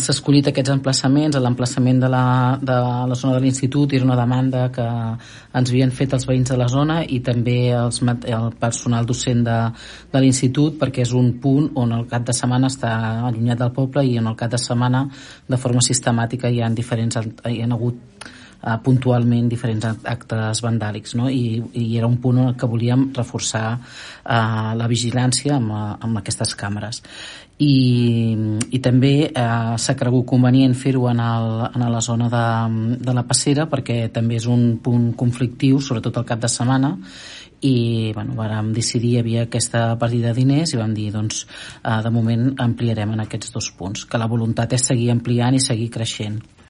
s'ha escollit aquests emplaçaments. L'emplaçament de la zona de l'institut era una demanda que ens havien fet els veïns de la zona i també el personal docent de l'institut, perquè és un punt on el cap de setmana està allunyat del poble i en el cap de setmana de forma sistemàtica hi han hagut puntualment diferents actes vandàlics, no? I era un punt en què volíem reforçar la vigilància amb aquestes càmeres. I també s'ha cregut convenient fer-ho en la zona de la Passera, perquè també és un punt conflictiu, sobretot el cap de setmana, i vàrem decidir, hi havia aquesta partida de diners i vam dir, doncs, de moment ampliarem en aquests 2 punts, que la voluntat és seguir ampliant i seguir creixent.